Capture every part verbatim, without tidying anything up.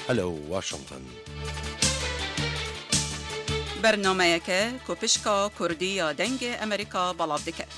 Hello Washington. Bernameyeke ku pişka Kurdî ya Dengê Amerîka belav diket.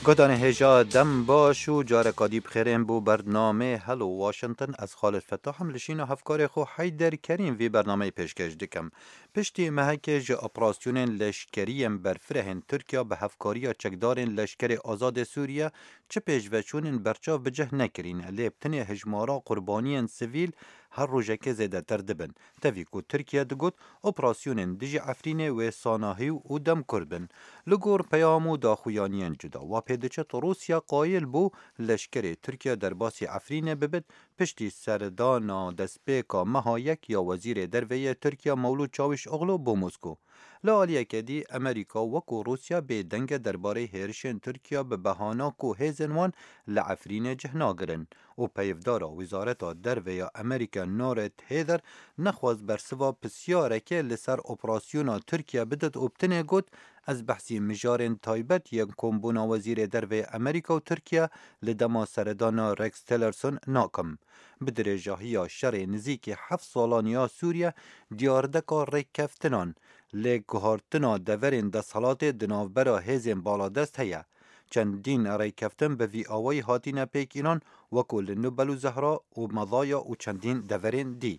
Guhdarên hêja, dem baş û careka dî bi xêrên bo bernamê Hello Washington. Ez Xalid Fetah im, li şîna hevkarê xwe Heyder Kerîm vî bernameyê pêşkêş dikim. Piştî mehekê ji operasyonên leşkerî yên berfirehên Tirkiye bi hevkariya çekdarên Leşkerê Azadê Sûriye çi pêşveçûnên berçav bi cih nekirîne, lê bi tinê hejmara qurbaniyên sivîl her rojekê zêdetir dibin. Tevî ku Tirkiye digot, operasyonên dijî Efrînê wê sanahî û demkurt bin. Li gor peyam û daxuyaniyên cuda, wa pê diçit Rûsya qayil bû leşkerê Tirkiye derbasî Efrînê bibit, piştî serdana destpêka meha yek ya Wezîrê Derve yê Tirkiye Mewlûd Çawîşoglu bo Mosko. Li aliyeke dî, Amerîka wekû Rûsya bêdeng e derbarê hêrişên Tirkiye bi behana ku hêzên wan li Efrînê cih nagirin û peyivdara Wizareta Derve ya Amerîka Ned Price nexwest bersiva pisyareke li ser operasyona Tirkiye bidit û bi tinê got, ez behsî mijarên taybet yên kombûna Wezîrê Derve yê Amerîka û Tirkiye li dema seredana Rex Tillerson nakim. Bi dirêjahiya şerê nizîkî heft salan ya Sûriye, diyardeka rêkeftinan, lê guhartina deverên desthilatê di navbera hêzên baladest heye. Çendîn rêkeftin bi vî awayî hatine pêkînan, wekû li Nûbel û Zehra û Medaya û çendîn deverên dî.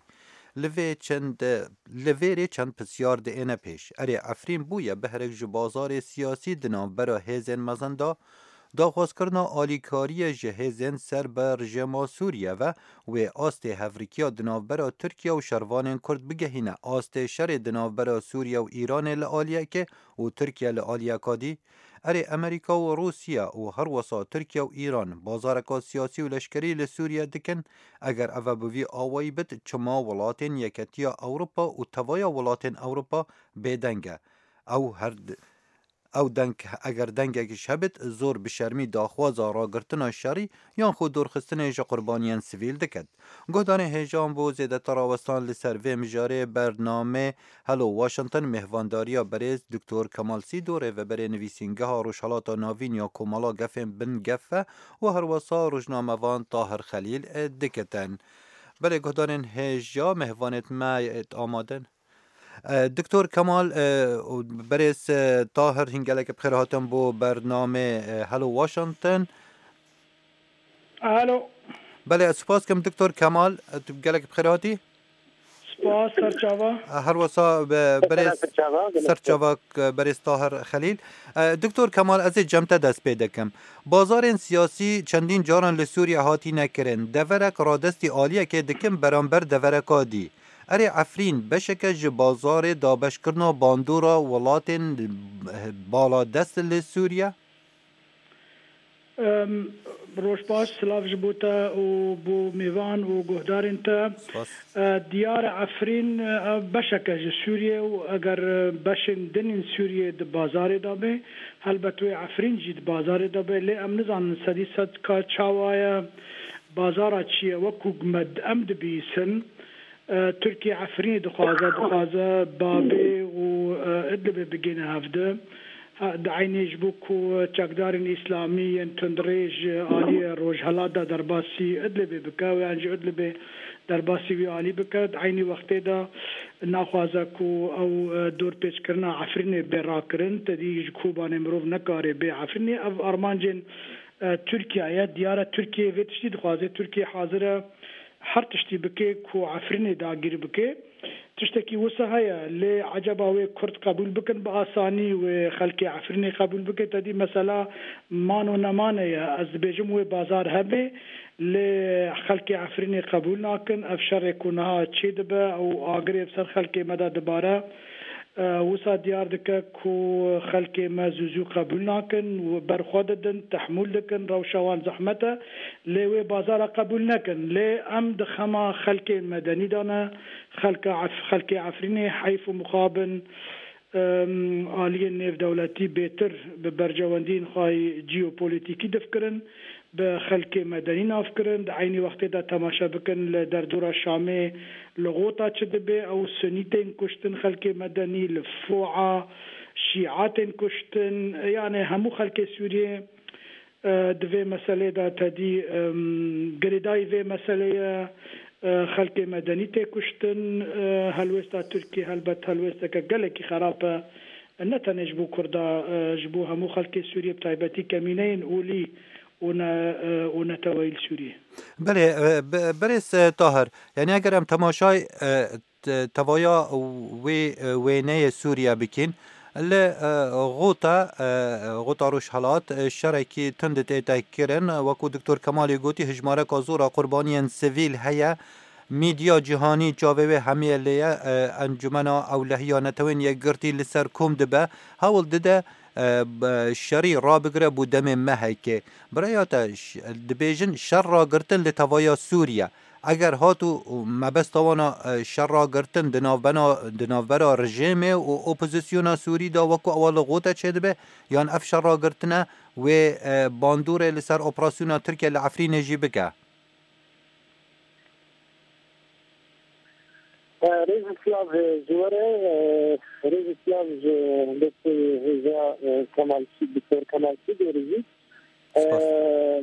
Li vê çend, li vêrê çend pisyar diêne pêş. Erê, Efrîn bûye behrek ji bazarê siyasî di navbera hêzên mezin de? Daxwazkirina alîkariyê ji hêzên ser bi rejîma Sûriye ve, wê astê hevrikiya di navbera Tirkiye û şervanên Kurd bigehîne astê şerê di navbera Sûriye û Îranê li aliyekê û Tirkiye li aliyeka dî. Erê, Amerîka û Rûsya û herwesa Tirkiye û Îran bazareka siyasî û leşkerî li Sûriye dikin. Eger eve bi vî awayî bit, çima welatên Yeketiya Ewropa û Tevaya Welatên Ewropa bêdeng e? Ew her d-, ew deng, eger dengekî ji hebit, zor bi şermî daxwaza ragirtina şerî yan xwe dorxistinê ji qurbaniyên sivîl diket. Guhdarên hêja, bo zêdetir rawestan li ser vê mijarê bernamê Hello Washington mêhvandariya berêz Doktor Kemal Sîdo, rêveberê Nivîsîngeha Rojhelata Navîn ya Komala Gefên Bin Gefe û herwesa rojnamevan Tahir Xelîl, e, dikitin. Belê guhdarên hêja, mêhvanêt me, e, amade ne. E, Doktor Kemal, e, û berêz, e, Tahir, hîn gelek bi xêr hatin bo bernamê, e, Hello Washington. Alo. Belê, ez spas kim Doktor Kemal, e, tu gelek bi xêr hatî. Spas, serçava. E, her wesa be-, berêz Serçava, gelek serçava, e, berêz Tahir Xelîl. E, Doktor Kemal, ez ê cem te dest pê dikim. Bazarên siyasî çendîn caran li Sûriye hatîne kirin. Deverek radestî aliyekê dikim beramber devereka dî. Erê, Efrîn beşeke ji bazarê dabeşkirina bandora welatên, e, baladest li Sûriye? Em, roj baş, silav ji bo te û bo mêvan û guhdarên te. Spas. E, diyar e, Efrîn, e, beşek e ji Sûriyê û eger, e, beşên din ên Sûriyê di bazarê de be, helbet wê Efrîn jî di bazarê de be, lê em nizanin sedî sed ka çawa ye, bazara çi ye, wekû me d-, em dibihîsin. E, Tirkiye Efrînê dixwaze, dixwaze Babê û, e, Idlibê bigihîne hevdi. Ha, di eynê ji bo ku çekdarên îslamî yên tundrêj aliyê rojhelat de derbasî Idlibê bike, yan jî Idlibê derbasî wî alî bike, di eynî wextê de naxwaze ku ew, e, dorpêçkirina Efrînê bê rakirin, te dî ji Kobanê mirov nekare bê Efrînê. Ev armancên, e, Tirkiye ye. Diyar e Tirkiye vê tiştî dixwaze. Tirkiye hazir e her tiştî bike ku Efrînê dagîr bike. Tiştekî wisa heye, lê eceba wê Kurd qebûl bikin bi asanî, wê xelkê Efrînê qebûl bike? Te dî mesela man û nemane ye. Ez dibêjim wê bazar hebe, lê xelkê Efrînê qebûl nakin. Ev şerê ku niha çê dibe û agirê bi ser xelkê me de dibare, e, wisa diyar dike ku xelkê me zû zû qebûl nakin û ber xwe didin, tehmûl dikin, rewşa wan zehmet e. Lê wê bazara qebûl nekin. Lê em di xema xelkê medenî de ne. Xelka Ef-, xelkê Efrînê heyf û mixabin, em, aliyên nêvdewletî bêtir bi berjewendiyên xwe yî jeopolîtîkî difkirin. bi xelkê medenî nav kirin. Di eynî wextê de temaşe bikin li derdora Şamê li Xota çi dibe, ew sunî tên kuştin, xelkê medenî li Foa, şîa tên kuştin, yani hemû xelkê Sûriyê, e, di vê meselê de tedî, em, girêdayî vê meselê ye, e, xelkê medenî tê kuştin, e, helwêsta Tirkiyê helbet helwêsteke gelekî xerab e, ne tenê ji bo Kurda, e, ji bo hemû xelkê Sûriyê, bi taybetî kemîneyên olî û ne, e, û neteweyî li Sûriyê. Belê, e, be-, berêz, e, Tahir, yani eger em temaşay, e, te-, tevaya wê, e, wêneyê Sûriye bikîn, li, e, Xota, e, Xota Rojhelat, e, şerekî tund tête kirin. Wekû Doktor Kemalê gotî, hijmareka zor a qurbaniyên sivîl heye. Mîdya cîhanî çavê wê hemiyê lê ye. E, Encûmena Ewlehiya Netewên Yekgirtî li ser kom dibe, hewl dide, e, b-, şerî rabigire bo demê mehekê. Biraya te ş-, dibêjin şer ragirtin li tevaya Sûriye. Eger hat û mebesta wana, e, şer ragirtin di navbena, di navbera rejêmê û opozisyona Sûrî de wekû ewa li Xota çêdibe, yan ev şer ragirtine wê, e, bandorê li ser operasyona Tirkiye li Efrînê jî bike? E, rêz û silav, e, ji we re, e, rêz û silav ji doktor hêja, e, Kemal Sî-, doktor Kemal Sîdorî jî. Spas. E,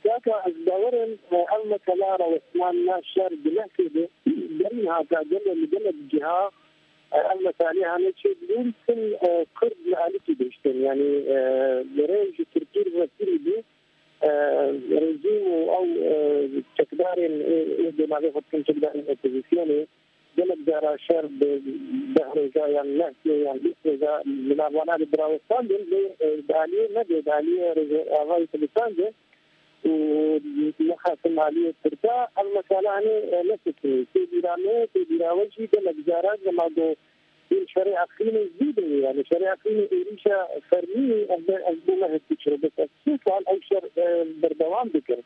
kaka, ez bawer im, e, ev mesela rawestnana şer di lehkê de, berî niha ka gelo li gelek ciha, e, ev meselê hane çêdibûn, tim, e, Kurd li alîkî dihiştin. Yani, e, li rê ji Tirkî re vekirî bû, e, rejîm û ew, e, çekdarên ê, ê dê navê xwe dikin çekdarên opozisyonê, gelek cara şer bi deh roja yan neh yan bîst roja li nav wana de birawestandin, lê, e, di aliyê me de, di aliyê Rojavayê Kurdistan de û nexasim aliyê Tirka, ev mesela hanê, e, nesekinî. Tê bîra me, tê bîra we jî gelek cara dema ku yên şerê Efrînê zû de ye, yani şerê Efrînê êrîşa fermî ye, ez, ez bo me hesî çiro, bes ev sê sal ew şer, e, berdewam dikir.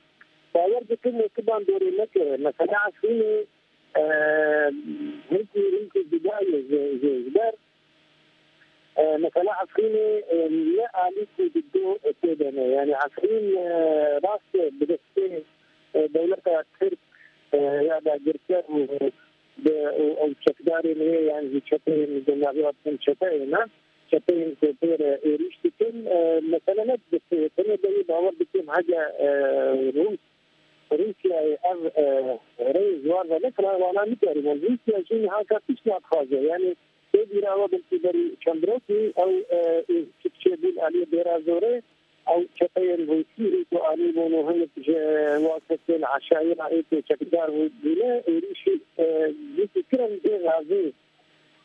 Bawer dikim wê tu bandorê nekire. Mesela Efrînê, e, hinkî, hinkî cuda ye ji, ji, ji ber, e, mesela Efrînê, e, ne alî ku di do tê de ne. Yani Efrîn, e, rast e, bi destê, e, dewleta Tirk, e, ya dagirker û, e, bi, û, ew çekdarên wê, yani ji çeteyên, di navê wan çeteyê ne, çeteyên ku pê re êrîş dikin, e, mesele ne bi destê wê. Tenê de wê bawer dikim hege, e, Rûs Rûsyayê ev, e, rê ji wan ve nekira, wana nikarî. Wan Rûsya jî niha ka tişt nadixwaze. Yani, tê bîra we belkî berî çend rokî ew, e, ê çik çêbûn aliyê Dêra Zorê, ew çeteyên Rûsî ê ku anîbûn û hinek ji wan kesên eşayîra ê ku çekdar bû-, bûne, êrîşî, e, dîtî kirin vê gazê.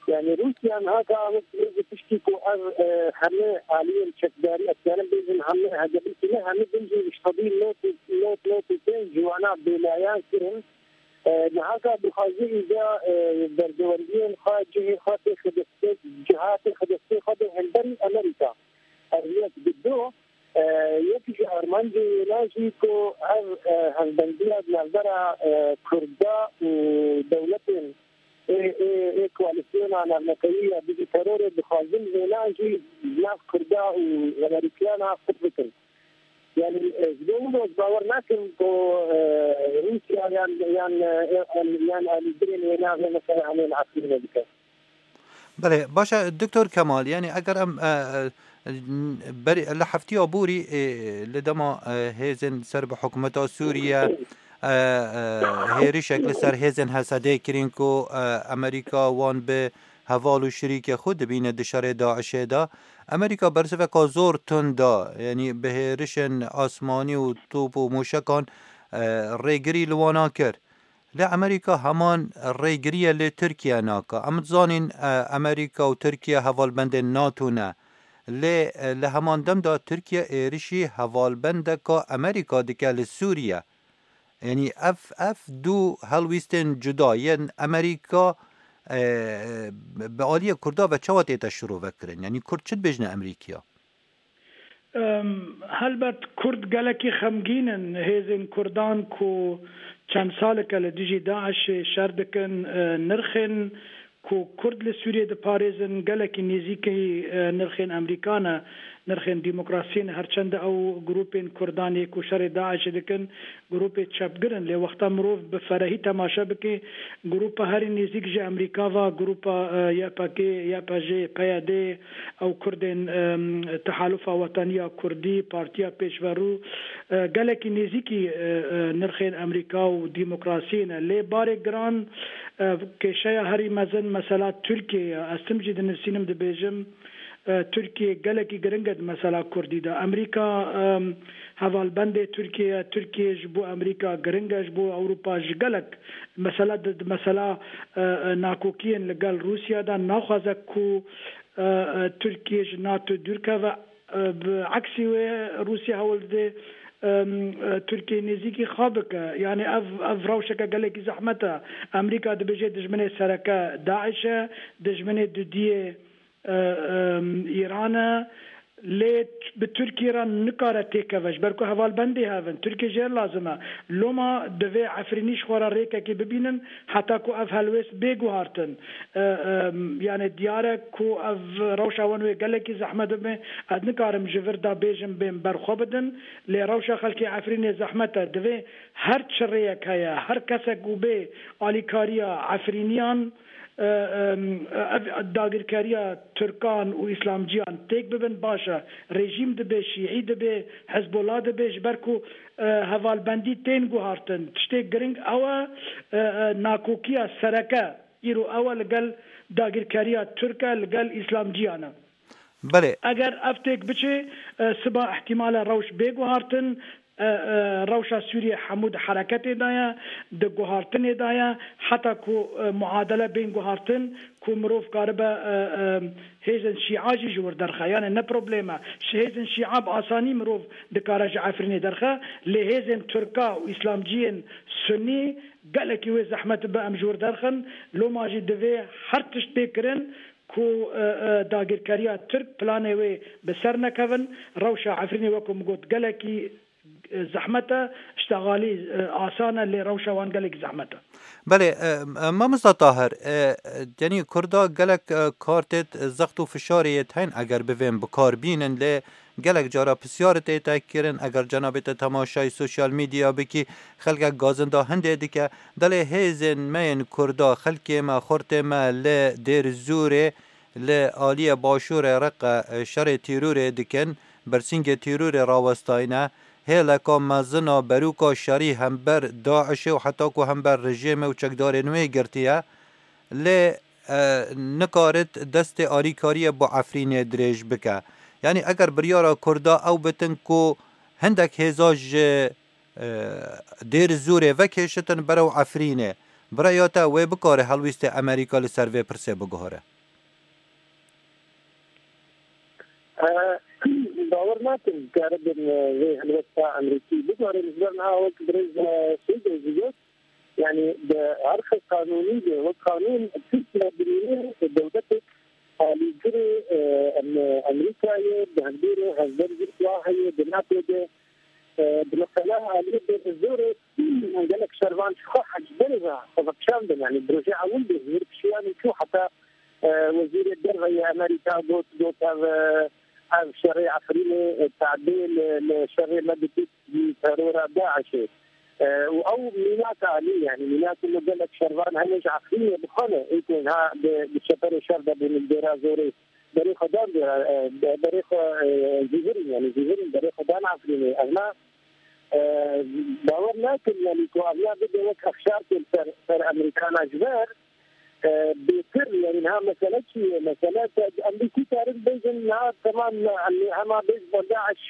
Yani Rûsya niha ka wek rêzê piştî ku ev, e, heme aliyên çekdarî, ez karim bêjim heme, hege belkî ne heme, bin jî ji sedî nod û, nod, nod û pênc ji wana bêlayan kirin. E, niha ka dixwaze îca, e, berdewendiyên xwe, cihê xwe têxe destê, ciha têxe destê xwe de hemberî Amerîka. Ev yek. Di do, e, yek ji armancê wêna jî ku ev, e, hevbendiya di navbera, e, Kurda û dewletên ê, ê, ê koalîsyona navnetewî ya dijî terorê dixwazin wêna jî nav Kurda û Amerîkiyana qut bikin. Yani, e, ji bo min ez bawer nakim ku, e, Rûsya yan, yan, e, yan, yan alîgirên wêna vê mesela hemê li Efrînê bike. Belê, baş e, Doktor Kemal, yani eger em, e, e, berî, li heftiya borî, e, li dema, e, hêzên ser bi hikûmeta Sûriye, e, e, hêrişek li ser hêzên H S D'ê kirin ku, e, Amerîka wan bi heval û şirîkê xwe dibîne di şerê DAIŞ'ê de. Amerîka bersiveka zor tund da, yani bi hêrişên asmanî û top û mûşekan, e, rêgirî li wana kir. Lê Amerîka heman rêgiriye li Tirkiye nake. Em dizanîn, e, Amerîka û Tirkiye hevalbendên NATO ne. Lê, e, li heman dem de Tirkiye êrişî hevalbendeka Amerîka dike li Sûriye. Yanî ev, ev du helwîstên cuda yên Amerîka, e, bi aliyê Kurda ve çawa tête şirove kirin? Yanî Kurd çi dibêjine Amerîkaya? Em, helbet Kurd gelekî xemgîn in. Hêzên Kurdan ku çend salek e li dijî DAIŞ'ê şer dikin, e, nirxên ku Kurd li Sûriyê diparêzin gelekî nêzîkî, e, nirxên Amerîka ne. Nirxên demokrasiyê ne, her çend ew grûpên Kurdan yê ku şerê DAIŞê dikin, grûpê çepgir in, lê wexta mirov bi ferehî temaşe bike, grûpa herî nêzîk ji Amerîka ve, grûpa, e, Y P G, Y P J, P Y D, ew Kurdên, e, Tehalufa Wetaniya Kurdî, Partiya Pêşverû, e, gelekî nêzîkî, e, e, nirxên Amerîka û demokrasiyê ne. Lê barê giran, e, kêşeya herî mezin mesela Tirkiye ye. Ez tim jî dinivîsînim, dibêjim, e, Tirkiye gelekî giring e di mesela Kurdî de. Amerîka, e, hevalbendê Tirkiye ye. Tirkiye ji bo Amerîka giring e, ji bo Ewropa jî gelek. Mesela di, di mesela, e, e, nakokiyên li gel Rûsya de naxwaze ku, e, e, Tirkiye ji NATO dûr keve. E, bi eksî wê Rûsya hewl dide, e, e, Tirkiye nêzîkî xwe bike. Yani ev, ev rewşeke gelekî zehmet e. Amerîka dibêje dijminê sereke DAIŞ e, dijminê dudiyê, e, e, Îran e. Lê bi Tirkiye re nikare têkeve, ji ber ku hevalbendê hev in. Tirkiye jê re lazim e. Loma divê Efrînî ji xwe re rêkekê bibînin, heta ku ev helwêst bê guhartin. E, e, yani diyar e ku ev rewşa wan wê gelekî zehmet bibe. Ez nikarim ji vir de bêjim bên ber xwe bidin, lê rewşa xelkê Efrînê zehmet e. Divê her çi rêyek heye, her kesek û bê alîkariya Efrîniyan, e, e, ev dagirkeriya Tirkan û Îslamciyan têk bibin, baş e. Rejîm dibe, Şîî dibe, Hizbullah dibe, ji ber ku, e, hevalbendî tên guhartin. Tiştê giring ew e, e, e, nakokiya sereke îro ew e li gel dagirkeriya Tirk e, li gel Îslamciyan e. Belê. Eger ev têk biçe, e, siba ihtimale rewş bê guhartin, e, e, rewşa Sûriye hemû di hereketê de ye, di guhartinê de ye, heta ku, e, muadele bên guhartin, ku mirov karibe, e, e, hêzên Şîa jî ji wir derxe. Yani ne problem e. Ji hêzên Şîa bi asanî mirov dikare ji Efrînê derxe, lê hêzên Tirka û Îslamciyên Sunî gelekî wê zehmet be em ji wir derxin. Loma jî divê her tişt bê kirin ku, e, e, dagirkeriya Tirk planê wê bi ser nekevin. Rewşa Efrînê, wekî min got, gelekî, e, zehmet e, îştexalî, e, asan e, lê rewşa wan gelekî zehmet e. Belê, e, e, mamosta Tahir, e, e, yanî Kurda gelek, e, kar têt, e, zext û fişarê yêt heyn eger bivên bi kar bînin, lê gelek cara pisyar tê te kirin, eger cenabê te temaşayî sosyal medya bikî, xelkek gazinda hindê dike, delê hêzên me yên Kurda, xelkê me, xurtê me li Dêr Zûrê, li aliyê başûrê Reqe, e, şerê tîrûrê dikin, bersîngê tîrûrê rawestayne, hêleka mezin a berûka şerî hember DAIŞê û heta ku hember rejîmê û çekdarên wê girtiye, lê, e, nikarit destê alîkariyê bo Efrînê dirêj bike. Yanî eger biryara Kurda ew bitin ku hindek hêza ji, e, Dêr Zûrê vekêşitin berew Efrînê, bi raya te wê bikare helwîstê Amerîka li ser vê pirsê biguhere? E, bawer nakim karibin, e, vê helwesta Amerîkî biguherin. Ji ber niha wek birêz, e, Seydo jî got, yani di erxê qanûnî de wek qanûn Tirkiye dimîne dewletek alîgirê, e, em-, Amerîkayê di hevdûrê hevber jî wa heye di NATO de, e, bi mesela aliyê de zorê gelek şervan ji xwe hecberê ve xwe vekişandin. Yani bi rojê ewil de zor kişiyan çû heta, e, wezîrê derve yê Amerîka got, got ev, e, ev şerê Efrînê, e, tadê li, li şerê me dikit. Terora DAIŞê. E, û ew mînak alî, yani mînak û gelek şervan hene ji Efrînê bi xwe ne, ê ku ha bi, bi çeperê şer de bûn li Dêra Zorê. Berê xwe dan Dêra, e, be-, berê xwe, e, zîvirîn, yani zîvirîn berê xwe dan Efrînê. Ev na, e, bawer nakin, yani ku ev na bide wek efşarkên ser, ser Amerîkana ji ber, e, bêtir, yani niha mesele çi ye? Mesele te, em bî kî karin bêjin, niha temam, em hema bêj bo DAIŞ,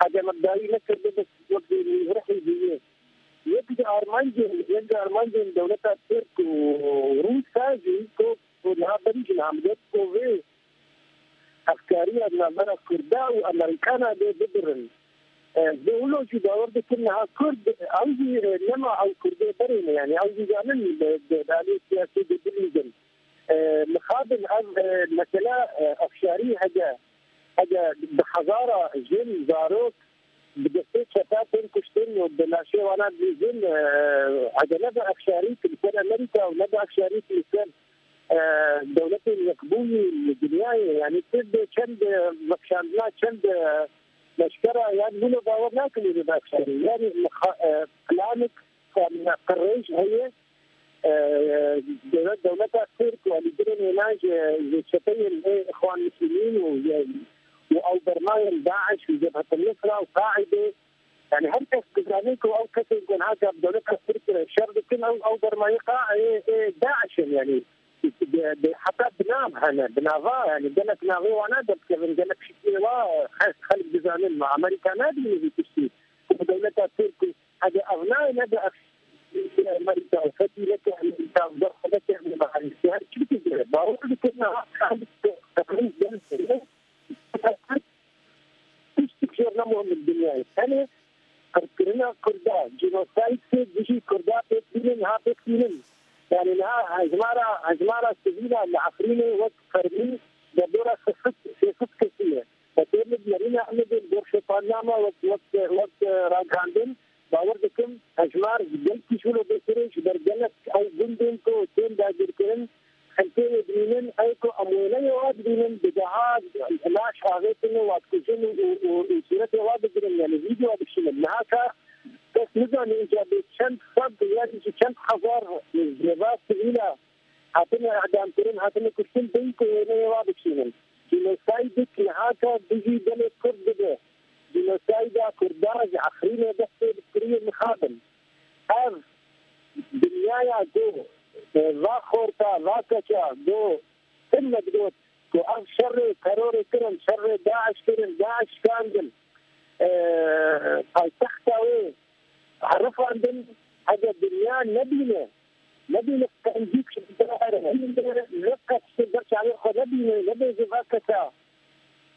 hege me dayî nekirdi, bes wek rihî bûye. Yek ji armancên, yek ji armancên dewleta Tirk û Rûsa jî, ku, ku niha berî jî niha min got, ku vê hevkariya di navbera Kurda û Amerîkana de bibirin. E, vê wilo jî bawer dikin niha Kurd, ew jî, e, nema ew Kurdê berê ne, yani ew jî zanin, e, di, di aliyê siyasî de bilîzin. E, mixabin ev, e, mesela, e, efşarî hege, hege bi hezara jin, zarok, bi destê çeta tên kuştin û bi laşê wana dilîzin, e, hege ne bi efşarî li ser Amerîka û ne bi efşarî li ser e, dewletên yekbûyî li dinyayê, yanî tu bi çend, e, vekişandina çend, e, leşkera, yanî hûn ê bawer nakin hûn ê vekişandin. Yanî mixa-, e, planik, yanî qirêj heye, e, dewlet, dewleta Tirk û alîgirên êna ji, ji çeteyên vê Îxwan Muslimîn û, û ew bermayên DAIŞ û Cebhet el-Nusra û Qaîdê, yanî her kes dizane ku ew kesên ku niha bi dewleta Tirk re şer dikin, ew, ew bermayê Qa-, ê, ê DAIŞ in, yanî bi, bi, heta bi nav hene, bi nava, yanî gelek navê wana derdikevin, gelek şiklê wa xelk, xelk dizanin, ma Amerîka nadîne vî tiştî. Ku dewleta Tirk, hede ev nayê, nebe ev Amerîka, fetî neke Amerîka, derxwe neke Amerîka, her çi bike, bawer dikin, niha Tiştik jêr ne muhim li dinyayê. Tenê qirkirina Kurda, cînosaydê dijî Kurda pêk bînin, ha pêk bînin. Yani niha hejmara, hejmara sivîla li Efrînê wek fermî derdora sê sed, sê sed kesî ye. Xwedê li nerîna Amedê li gor şopannama wek, wek, wek, e, ragihandin, bawer dikim hejmar gelkî ji wilo bêtir e, ji ber gelek ew gundên ku tên dagirkirin, xelkê wê dimînin, ew ku em wêneyê wa dibînin, bi deha laş avêtin û wa dikujin û, û, û, û sûretê wa digirin, yani vîdeo dikişînin. Niha ka kes nizane, înca bê çend sed yan jî çend hezar cêva sivîla hatine îdamkirin, hatine kuştin, bê ku wêneyê wa dikişînin. Cînosaydik niha ka dijî gelê Kurd dibe. Cînosayda Kurdan ji Efrînê destê bi kiriyê mixabin. Ev dinyaya ku, e, va xorta, va keça, ku tim me digot ku ev şerê terorê kirin, şerê DAIŞ kirin, DAIŞ şikandin, e, paytexta wê herifandin, hege dinya nebîne, nebîne qencîk ji dara here, ne qet ji ber çavê xwe nebîne, nebêje va kesa.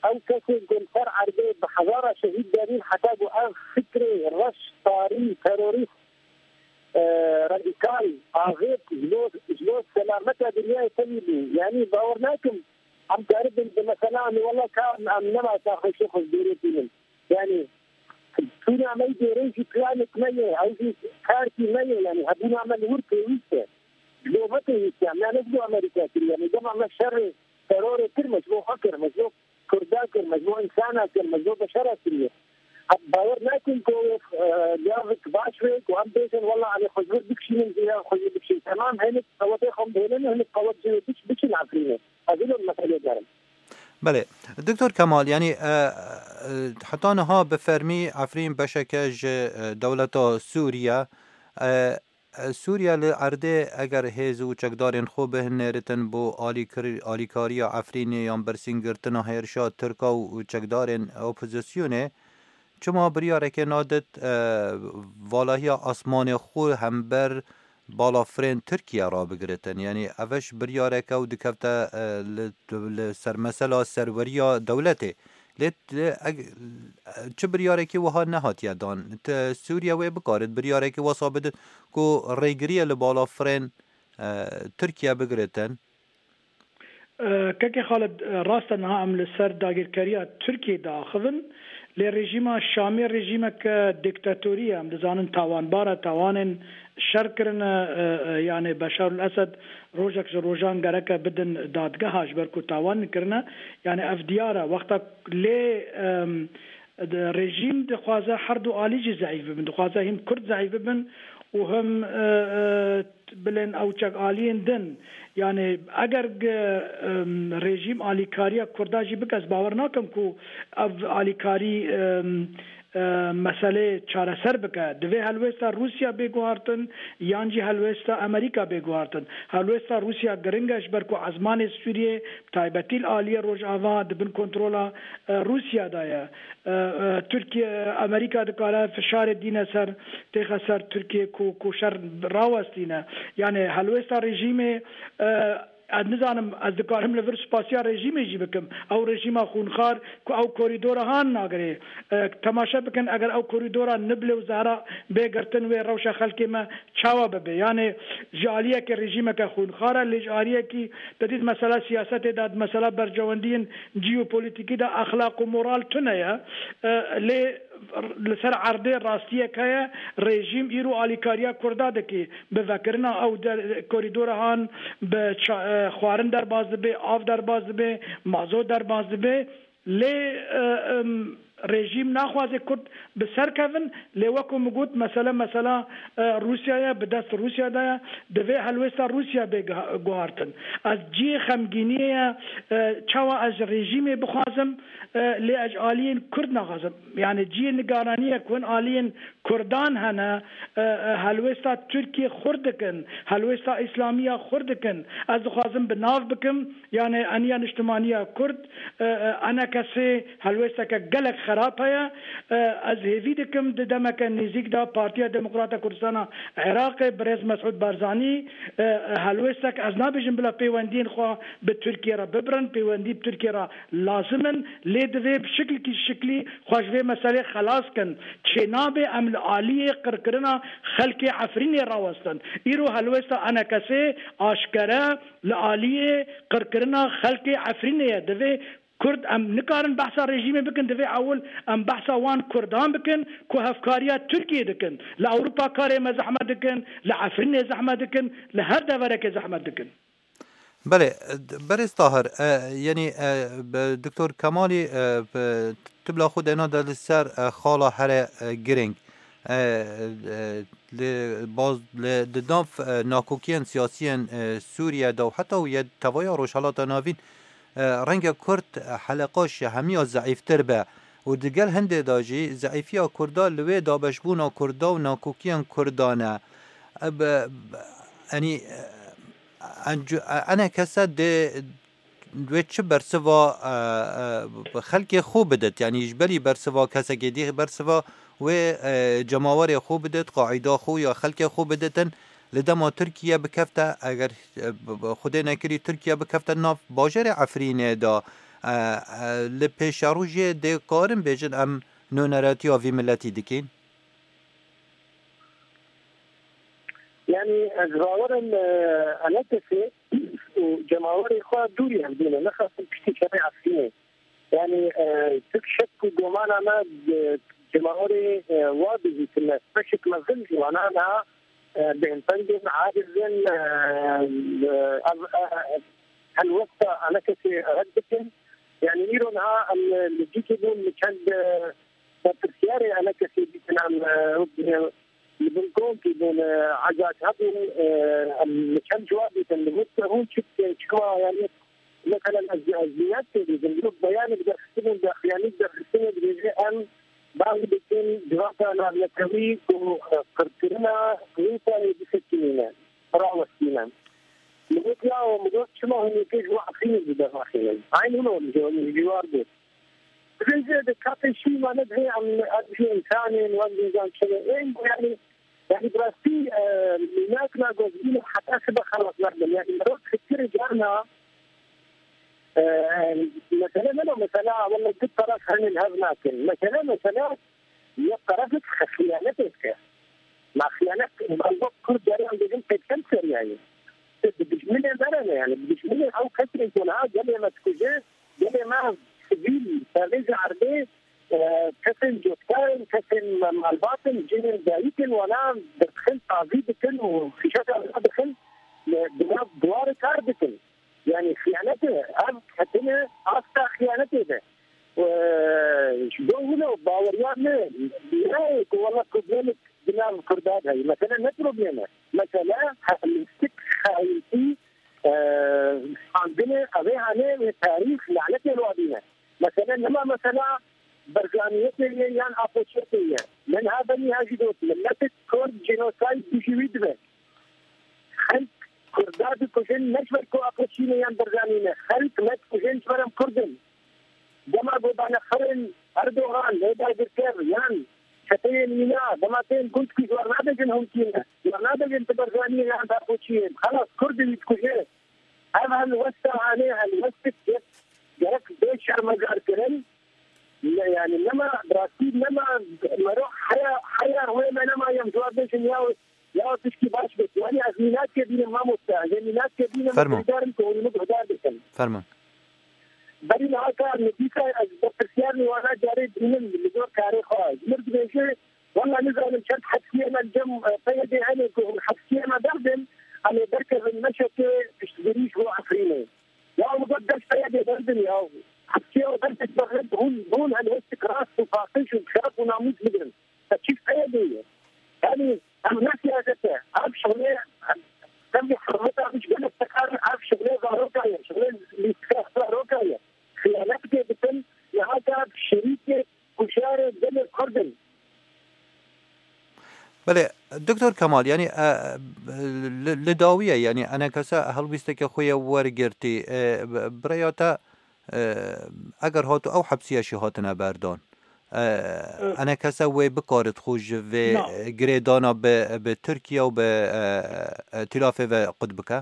Ew kesên ku li ser erdê bi hezara şehîd danîn, heta ku ev fikrê reş, tarî, terorîst, e, radîkal, avêt ji bo, ji bo selameta dinyayê tevî bû. Yanî bawer nakim em karibin bi mesela, em ê wela ka em nema saxeşê xwe ji dêrê tînin. Yanî çûna me dêrê jî planik me ye, ew jî kartî me ye. Yanî hebûna me li wir pêwîst e. Ji bo me pêwîst e. Em ya ne ji bo Amerîka kiriye. Yanî dema me şerê terorê kir, me ji bo xwe kir, me ji bo Kurda kir, me ji bo însana kir, me ji bo beşera kiriye. Em bawer nakin ku, e, gavik baş be ku em bêjin, wela em ê xwe ji vir bikişînin, ya xwe ji vir bikişînin. Temam, hinek qewetê xwe bihêlin, hinek qewet jê biç-, biçin Efrînê. Ez ilo meselê derim. Belê. Doktor Kemal, yanî, e, e, heta niha bi fermî Efrîn beşeke ji, e, dewleta Sûriye, e, Sûriye li erdê eger hêz û çekdarên xwe bihinêritin bo alîkir-, alîkariya Efrînê yan bersîngirtina hêrişa Tirka û çekdarên opozisyonê, çima biryareke nadit, e, valahiya asmanê xwe hember balafirên Tirkiye rabigiritin? Yanî ev ji biryareke û dikevte, e, li, li ser mesela serweriya dewletê. Lê, lê eg-, çi biryarekî wiha nehatiye dan. Te Sûriye wê bikarit biryarekî wesa bidin ku rêgiriyê li balafirên, e, Tirkiye bigiritin? E, Kekê Xalid, e, rast e, niha em li ser dagirkeriya Tirkiyê diaxivin, lê rejîma Şamê rejîmeke diktatorî ye, em dizanin tawanbar e, tawanên şer kirine, e, e, yani Beşar el Esed rojek ji rojan gereke bidin dadgeha ji ber ku tawan kirine. Yani ev diyar e. Wexta lê, em, de, rejîm dixwaze her du alî jî zeîf bibin. Dixwaze him Kurd zeîf bibin û him, e, e, bilên ew çek aliyên din. Yani eger ge, em, rejîm alîkariya Kurda jî bike, ez bawer nakim ku ev alîkarî, em, e, meselê çareser bike. Divê helwêsta Rûsya bê guhartin, yan jî helwêsta Amerîka bê guhartin. Helwêsta Rûsya giring e, ji ber ku ezmanê Sûriyê, bi taybetî li aliyê Rojava, di bin kontrola, e, Rûsya de ye. E, e, Tirkiye, Amerîka dikare fişarê dîne ser, têxe ser Tirkiye ku, ku şer rawestîne. Yani helwêsta rejîmê, e, Ez nizanim, ez dikarim li vir spasiya rejîmê jî bikim. Ew rejîma xûnxar ku ew korîdora han nagirê. E, temaşe bikin, eger ew korîdora Niblê û Zehra bê girtin, wê rewşa xelkê me çawa bibe? Yanê ji aliyekê rejîmeke xûnxar e, lê ji aliyekî te dît mesela siyasetê de, mesela berjewendiyên jeopolîtîkî de exlaq û moral tune ye. E, lê li ser erdê rastiyek heye, rejîm îro alîkariya Kurda dike. Bi vekirina ew der-, korîdora han, bi ça-, e, xwarin derbas dibe, av derbas dibe, mazot derbas dibe. Lê, e, em, rejîm naxwaze Kurd bi ser kevin, lê wekî min got, mesele, mesela, e, Rûsya ye, bi dest Rûsya de ye, divê helwêsta Rûsya bê guha-, guhartin. Ez cihê xemgîniyê ye, e, çawa ez ji rejîmê bixwazim, e, lê ez ji aliyên Kurd naxwazim. Yani cihê nigaraniye ku hin aliyên Kurdan hene, e, e, helwêsta Tirkiye xurt dikin, helwêsta Îslamiya xurt dikin. Ez dixwazim bi nav bikim, yani eniya niştimaniya Kurd, e, e, enekesê helwêsteke gelek xerab heye. E, ez hêvî dikim di demeke nêzîk de Partiya Demokrata Kurdistana Iraqê, birêz Mesûd Barzanî, e, e, helwêstek, ez nabêjim bila pêwendiyên xwe bi Tirkiye re bibirin, pêwendî bi Tirkiye re lazim in, lê divê bi şiklekî şiklî xwe ji vê meselê xelas kin. Çênabe em li aliyê qirkirina xelkê Efrînê rawestin. Îro helwesta enekesê aşkere li aliyê qirkirina xelkê Efrînê ye. Divê Kurd, em nikarin behsa rejîmê bikin, divê ewil em behsa wan Kurdan bikin ku hevkariya Tirkiyê dikin. Li Ewropa karê me zehmet dikin, li Efrînê zehmet dikin, li her deverekê zehmet dikin. Belê, berêz Tahir, e, yanî, e, bi Doktor Kemalî, e, bi, tu bila xwe dêna de li ser, e, xala here, e, girîng. E, e, li baz, li, di nav, e, nakokiyên siyasiyên, e, Sûriye de û heta û yê tevaya Rojhelata Navîn, e, renge Kurd, e, heleqa ji hemiya zeîftir be û di gel hindê de jî zeîfiya Kurda li wê dabeşbûna Kurda û nakokiyên Kurdan e. E, bi, bi, enî, e, Encu-, e, enekese dê wê çi bersiva, e, e, xelkê xwe bidit? Yanî ji berî bersiva kesekê dî bersiva wê, e, cemawerê xwe bidit, qaîda xwe ya xelkê xwe biditin. Li dema Tirkiye bikefte, eger, e, b-, b-, Xwedê nekirî Tirkiye bikefte nav bajarê Efrînê de, e, e, li pêşerojê dê karin bêjin em nûneratiya vî miletî dikîn? Yani ez bawerim, e, enekesê û cemawerê xwe dûrî ev dîne, nexasin piştî şerê Efrînê. Yani, e, tu şek û gomana me, e, cemawerê, e, wa dihîtine. Beşek mezin ji wana niha, e, bêhnpeng in, aciz in, e, e, ev, e, helwesta enekesê red dikin. Yani îro niha em li cîkê bûn, li çend, e, berpirsiyarê enekesê dîtin em, e, wek, e, li bin kompî bûn, e, ezac hebûn, e, em li çend ciwar dîtin, li vir hûn çi, çima, yani, mesela, ez, ez niyet tê dîtin, wek beyanek derxistibûn, de, yani, derxistinê dibêje, em bang dikin, civaka navnetewî ku, e, qirkirina Rûsyayê bisekinîne, rawestîne. Min got, yaw, min got, çima hûn yekê ji bo Efrînê jî dernaxînin? Eyn hûn ji, ji war got. Dibêje di kapê şî me nedihê em, em jî însan in, wek jî zan çi ne. Ên yani, yani bi rastî, e, mînak nagozîne heta sibe xelas nabin. Yani merov fikir carna, e, mesele ne, mesele wele du taraf henin hev nakin. Mesele, mesele yek tarafek xiyane pê dike. Ma xiyanet, ma wek Kurd caran dibêjin, pêkhem seriyayê. Bi dijminê me re ne, yani, bi dijminê ew kesên ku niha gelê me dikuje, gelê me sivîl, pervêz erdê, e, kesên cotkar in, kesên malbat in, cihên dayik in, wana dixin, tazî dikin û fîşeka wana dixin, e, di nav dwarê kar dikin. Yani xiyanetê, ev ketine asta xiyanetê de. E, ji bo wilo baweriya me, ne ku wela problemek di nav Kurda de heye. Mesele ne problem e. Mesele hemîstik, xayintî, e, standine, ev ê hane wê tarîx lanetê li wadî ne. Mesele nema mesela Barzaniyetê ye yan Apoçiyetê ye. Min ha benî ha jî got, miletek Kurd jenosayd dijî wî dibe. Xelk Kurda dikujin ne ji ber ku Apoçî ne yan Barzanî ne. Xelk me dikujin ji ber em Kurd in. Dema ku dane xirên Erdogan lê dagirker yan çeteyên mîna, dema tên gund ku ji wan nabêjin hûn kî ne. Ji wan nabêjin tu Barzanî yê yan tu Apoçî yê. Xelas, Kurd wî dikuje. Ev helwesta hanê helwestek gerek bê şermezar kirin. Ne, yani nema, bi rastî nema, mero heya, heya wê me nema yem cevap bêjin ya, ya tişkî baş bêt. Yani ez mînakê bînim mamoste, ez ê mînakê bînim, Fermo. Guhdar im ku hûn min guhdar bikin. Fermo. Berî niha ka nivîsa ez berpirsiyar nî wana carê dînim li gor karê xwe. Ji mir dibêje, wela nizanim çend hepsiyê me li cem, e, P Y D hene ku hûn hepsiyê me berdin, em ê derkevin meşekê piştgirî ji bo Efrînê. Ya û got dest P Y D berdin ya. Hepsiyê we berdin, hûn, hûn helwestik rast û paqij û şeref û namûs bigrin. Te çi P Y D ye? Yanî, em ne siyaset e. Ev şixulê, em, em hurmeta wî ji gelek tekan, ev şixulê zaroka ye, şixulê lîstika zaroka ye. Xiyanet pê dikin, niha ka şerîkê kujarê gelê Kurd in. Belê, Doktor Kemal, yanî, e, li, li dawiye, yanî, enekese helwîsteke xwe ye wergirtî, e, bi-, bi rêya te, e, eger hatu ew hepsiye jî hatine berdan, e, E, enekese wê bikarit xwe ji vê, Na. e, girêdana bi, bi Tirkiye û bi, e, e, Tîlafê ve qut bike?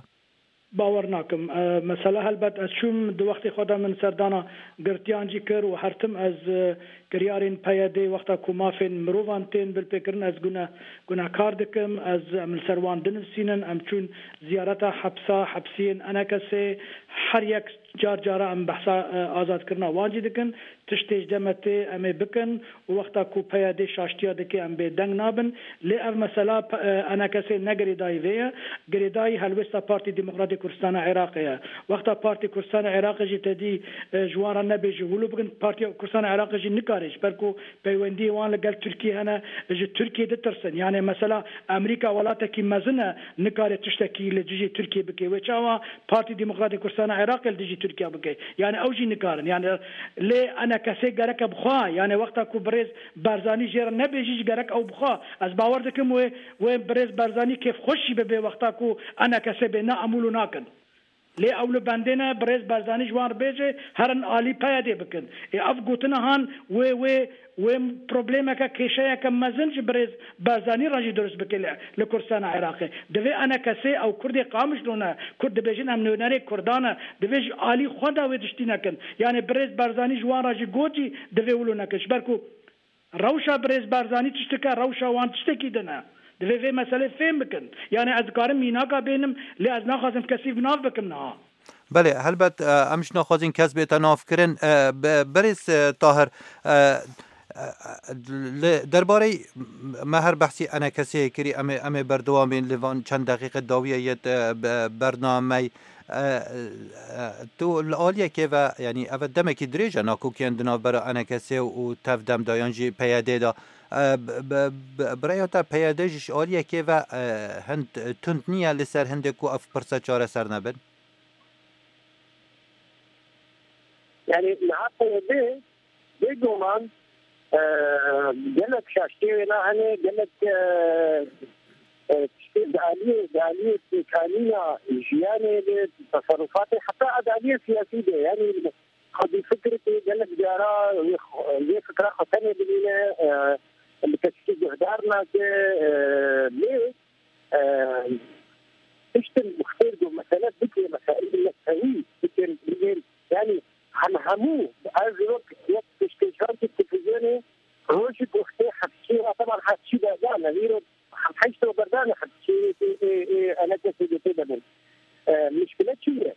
Bawer nakim. E, mesela helbet ez çûm di wextê xwe de min serdana girtiyan jî kir û her tim ez, e, kiryarên P Y D wexta ku mafên mirovan tên bilpêkirin ez gune-, gunehkar dikim. Ez, em li ser wan dinivîsînin. Em çûn ziyareta hepsa, hepsiyên enekesê. Her yek car cara em behsa, e, azadkirina wan jî dikin. Tiştê ji deme tê em ê bikin û wexta ku P Y D şaştiya dike em bê deng nabin. Lê ev mesela P-, e, enekesê ne girêdayî vê ye. Girêdayî helwêsta Partî Demokratîk Kurdistana Iraqê ye. Wexta Partî Kurdistana Iraqê jî te dî, e, ji wan re nebêje wilo bikin, Partiya Kurdistana Iraqê jî nikare, ji ber ku peywendiyê wan li gel Tirkiyê hene, ji Tirkiyê ditirsin. Yanê mesela Amerîka welatekî mezin e, nikare tiştekî li dijî Tirkiyê bike. Wê çawa Partî Demokratîk Kurdistana Iraqê li dijî Tirkiye bike? Yanê ew jî nikarin. Yanê lê enekesê gereke bi xwe, yanê wexta ku birêz Barzanî jê re nebêjî jî gerek ew bi xwe. Ez bawer dikim wê, wê birêz Barzanî kêfxweş jî bibe wexta ku enekesê bê, ne em wilo nakin. Lê ew li bendê ne, birêz Barzanî ji wan re bêje, herin alî P Y D bikin. Ê ev gotina han wê, wê, wê problemeke, kêşeyeke mezin ji birêz Barzanî re jî dirust bike li, li Kurdistana Iraqê. Divê enekesê ew Kurdê Qamişlo ne, Kurd dibêjin em nûnerê Kurdan e, divê ji alî xwe de wê tiştî nekin. Yanê birêz Barzanî ji wan re jî got jî divê wilo nekin. Ji ber ku rewşa birêz Barzanî tiştik e, rewşa wan tiştekî din e. Divê vê meselê fêm bikin. Yanê ez dikarim mînaka bênim, lê ez naxwazim kesî bi nav bikim niha. Belê, helbet, e, em jî naxwazin kes bête navkirin. E, be-, berêz, e, Tahir, e, e, li derbarê me her behsî enekesê kirî, em ê, em ê berdewam bên li van çend deqîqe dawiye yê, e, be-, bernameyê. E, e, tu li aliyekê ve, yanî ev demekî dirêj e nakokiyên di navbera enekesê û tev dem de yan jî P Y D de. E, bi, bi, bi, bi rêya te P Y D jî ji aliyekê ve, e, hind tund niye li ser hindê ku ev pirse çareser nebin? Yanî niha P Y D bêguman, e, gelek şaştiyê wê ne hene, gelek, e, e, tiştê di aliyê, di aliyê pêkanîna jiyanê de, teserrufatê, heta di aliyê siyasî de, yanî xwedî fikirê gelek cara wê xwe, wê fikra xwe tenê bimîne, e, li kesekî guhdar nake, e, lê, e, tiştin xêr ku mesele bike, meseleyê neftewî bikin, bigên, yanî hem hemû, ez wek, wek pêşkêşxankî televîzyonê rojî ku xêr hevçî, teban hevçî berdan, ez îro heşt ro berdan hevçî, ê, ê, ê, enekesê dê tê de bin. E, mişkile çi ye?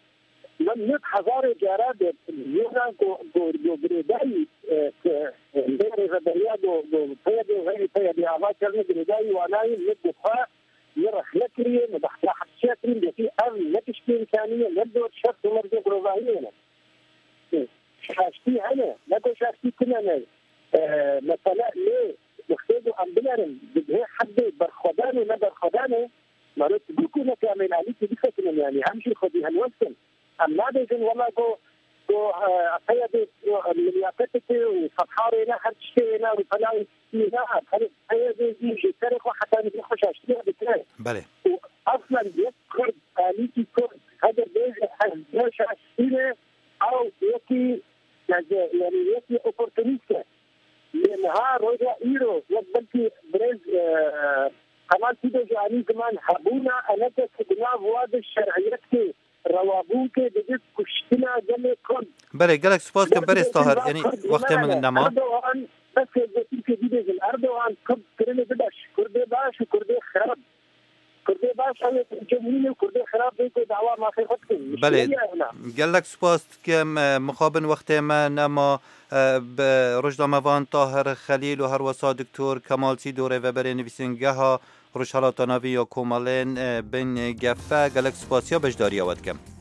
Min nod hezarê cara de yena ku, ku, ku girêdayî, e, ku, e, lê rêveberiya ku, ku P Y D û xeyrî P Y D ava kirine girêdayî wanayî min bi xwe, min rexne kiriye, min behsa hepsiya kirî, min gotî ev ne tiştê îmkanî ye, ne dor şert û mercê mirovahiyê ne. Şaştî hene, ne ku şaştî tune ne. E, mesele lê wextê ku em binerin, di vê heddê berxwedanê ne berxwedanê, mero tu ku neke em ên alîkî bisekinin, yanî em jî xwedî helwest in. Em nabêjin wela ku, ku, e, P Y D ku, e, liyaqeteke û sefha wê ne, her tiştê wê ne, û felan tiştê wê ne, em her P Y D jî ji serê xwe heta nivî xwe şaştiya dike. Belê. Û aslen yek Kurd, alîkî Kurd, heger bêje ez ne şaştî ne, ew yekî, yanî yekî oportunîst e. Lê niha roja îro, wek belkî birêz, e, Kemal Kîdo jî anî ziman hebûna eneke ku di nav wa de şer'iyetê, rewabûnkê dibit kuştina gelê Kurd. Belê, gelek spas kim, berêz Tahir, yanî wextê min nema. Erdogan, bes hêzê Tirkiyê bibêjin, Erdogan Kurd kirinê bibe ji Kurdê baş û Kurdê xirab. Bê baş, ew ê cumhuriyê Kurdê xirab bê ku dawa mafê xwe dikin. Belê. Mişkiliya ew na. Gelek spas dikim. E, mixabin wextê me nema, e, bi rojnamevan Tahir Xelîl û herwesa Doktor Kemal Sîdo, rêveberê nivîsîngeha Rojhelata Navî ya Komelên, e, bin gefe. Gelek spasiya beşdariya we dikim.